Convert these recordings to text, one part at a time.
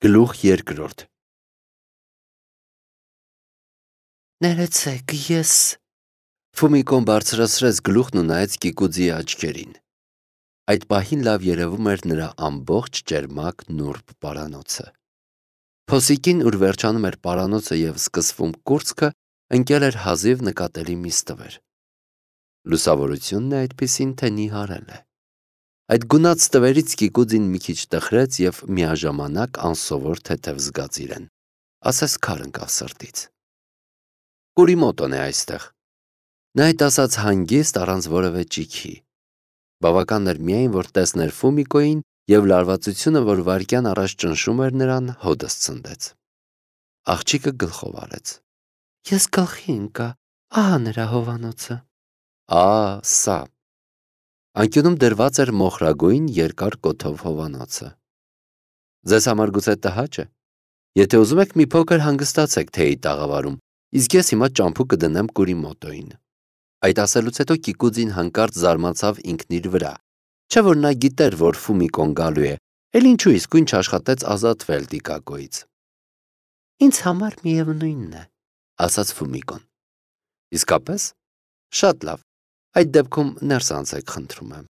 Գլուխ երկրորդ Ներեցեք, ես… Ֆումիկոն բարձրացրեց գլուխն ու նայեց Կիկուձիի աչքերին։ Այդ պահին լավ երևում էր նրա ամբողջ ճերմակ նուրբ պարանոցը։ Փոսիկին, ուր վերջանում էր պարանոցը և սկսվում կուրծքը, ընկել էր հազիվ նկատելի մի ստվեր։ Լուսավորությունն է այդպիսին, թե նիհարել է։ Այդ գունատ ստվերից Կիկուձին մի քիչ տխրեց և միաժամանակ անսովոր թեթև զգաց իրեն, ասես քար ընկավ սրտից։ Կուրիմոտոն է այստեղ։ Նա այդ ասաց հանգիստ, առանց որևէ ճիգի։ Բավական էր միայն, որ տեսներ Ֆումիկոյին, և լարվածությունը, որ վայրկյան առաջ ճնշում էր նրան, հօդս ցնդեց։ Աղջիկը գլխով արեց։ Ես գլխի ընկա, ահա նրա հովանոցը։ Սա… Անկյունում դրված էր մոխրագույն երկար կոթով հովանոցը։ Ձեզ համար գուցե տհաճ է։ Եթե ուզում եք, մի փոքր հանգստացեք թեյի տաղավարում, իսկ ես հիմա ճամփու կդնեմ Կուրիմոտոյին։ Այդ ասելուց հետո Կիկուձին հանկարծ զարմացավ ինքն իր վրա, չէ՞ որ նա գիտեր, որ Ֆումիկոն գալու է, էլ ինչու իսկույն չաշխատեց ազատվել Տիկակոյից։ Ինձ համար միևնույնն է, ասաց Ֆումիկոն։ Իսկապես։ Շատ լավ, այդ դեպքում ներս անցեք, խնդրում եմ։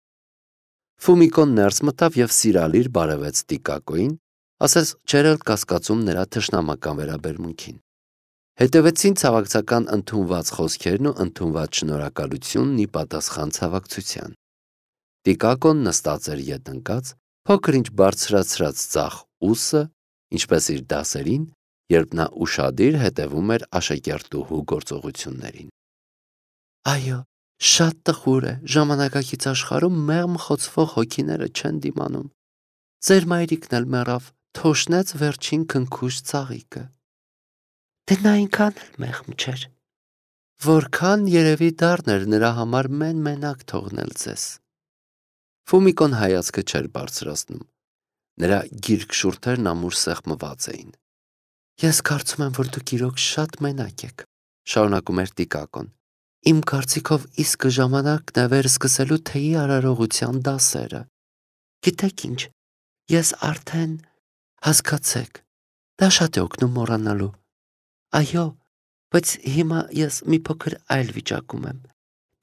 Ֆումիկոն ներս մտավ և սիրալիր բարևեց Տիկակոյին, ասես չէր էլ կասկածում նրա թշնամական վերաբերմունքին։ Հետևեցին ցավակցական ընդունված խոսքերն ու ընդունված շնորհակալությունն ի պատասխան ցավակցության։ Տիկակոն նստած էր ետ ընկած, փոքր-ինչ բարձրացրած ձախ ուսը, ինչպես իր դասերին, երբ նա ուշադիր հետևում էր աշակերտուհու գործողություններին։ Այո, շատ տխուր է, ժամանակակից աշխարհում մեղմ խոցվող հոգիները չեն դիմանում։ Ձեր մայրիկն էլ մեռավ, թոշնեց վերջին քնքուշ ծաղիկը։ Դե նա այնքան էլ մեղմ չէր։ Որքան երևի դառն էր նրա համար մեն-մենակ թողնել ձեզ։ Ֆումիկոն հայացքը չէր բարձրացնում։ Նրա գիրք շուրթերն ամուր սեղմված էին։ Ես կարծում եմ, որ դուք իրոք շատ մենակ եք, շարունակում էր Տիկակոն։ Իմ կարծիքով իսկը ժամանակն է վերսկսելու թեյի արարողության դասերը։ Գիտեք ինչ, ես արդեն… հասկացեք, դա շատ է օգնում մոռանալու։ Այո, բայց հիմա ես մի փոքր այլ վիճակում եմ։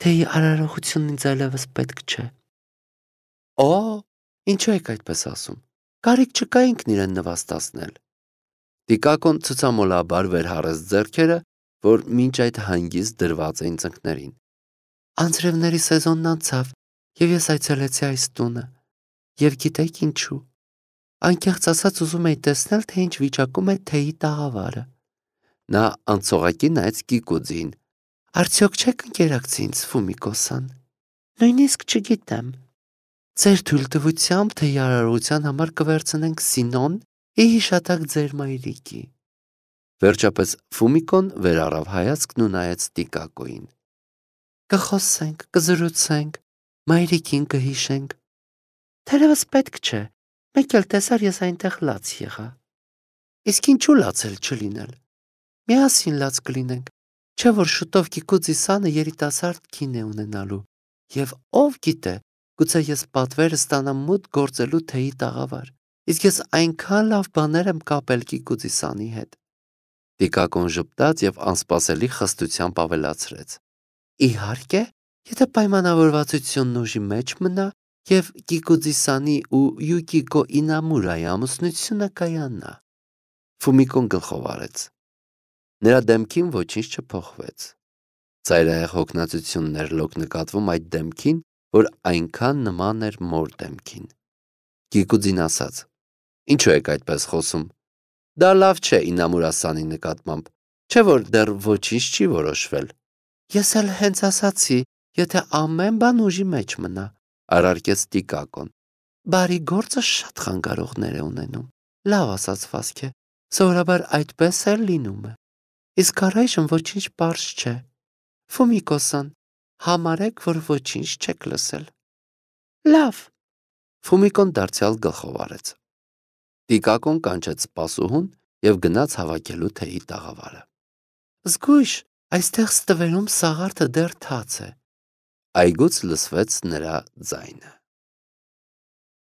Թեյի արարողությունն ինձ այլևս պետք չէ։ Ինչու եք այդպես ասում։ Կարիք չկա ինքն իրեն նվաստացնել։ Տիկակոն ցցամոլաբար վերհարեց ձեռքերը, որ մինչ այդ հանգիստ դրված էին ծնկներին։ Անձրևների սեզոնն անցավ, և ես այցելեցի այս տունը։ Եվ գիտեք ինչու։ Անկեղծ ասած ուզում էի տեսնել, թե ինչ վիճակում է թեյի տաղավարը։ Նա անցողակի նայեց Կիկուձիին։ Արդյոք չեք ընկերակցի ինձ, Ֆումիկո-սան։ Նույնիսկ չգիտեմ։ Ձեր թույլտվությամբ թեյի արարողության համար կվերցնենք Սինոն ի հիշատակ ձեր մայրիկի։ Վերջապես Ֆումիկոն վերառավ հայացքն ու նայեց Տիկակոյին։ Կխոսենք, կզրուցենք, մայրիկին կհիշենք։ Թերևս պետք չէ, մեկ էլ տեսար ես այնտեղ լաց եղա։ Իսկ ինչու լաց էլ չլինել։ Միասին լաց կլինենք, չէ որ շուտով Կիկուձի սանը երիտասարդ կին է ունենալու, և ով գիտե, գուցե ես պատվեր ստանամ մուտք գործելու թեյի տաղավար, իսկ ես այնքան լավ բաներ եմ կապել Կիկուձի սանի հետ։ Տիկակոն ժպտաց և անսպասելի խստությամբ ավելացրեց. Իհարկե, եթե պայմանավորվածությունն ուժի մեջ մնա և Կիկուձի սանի ու Յուկիկո Ինամուրայի ամուսնությունը կայանա։ Ֆումիկոն գլխով արեց։ Նրա դեմքին ոչինչ չփոխվեց։ Ծայրահեղ հոգնածությունն էր լոկ նկատվում այդ դեմքին, որ այնքան նման էր մոր դեմքին։ Կիկուձին ասաց. Ինչու եք այդպես խոսում։ Դա լավ չէ Ինամուրա սանի նկատմամբ, չէ որ դեռ ոչինչ չի որոշվել։ Ես էլ հենց ասացի, եթե ամեն բան ուժի մեջ մնա, առարկեց Տիկակոն։ Բարի գործը շատ խանգարողներ է ունենում։ Լավ ասացվածք է, սովորաբար այդպես էլ լինում է։ Իսկ առայժմ ոչինչ պարզ չէ։ Ֆումիկո-սան, համարեք, որ ոչինչ չեք լսել։ Լավ։ Ֆումիկոն դարձյալ գլխով արեց։ Տիկակոն կանչեց սպասուհուն և գնաց հավաքելու թեյի տաղավարը։ Զգույշ, այստեղ ստվերում սաղարթը դեռ թաց է։ Այգուց լսվեց նրա ձայնը։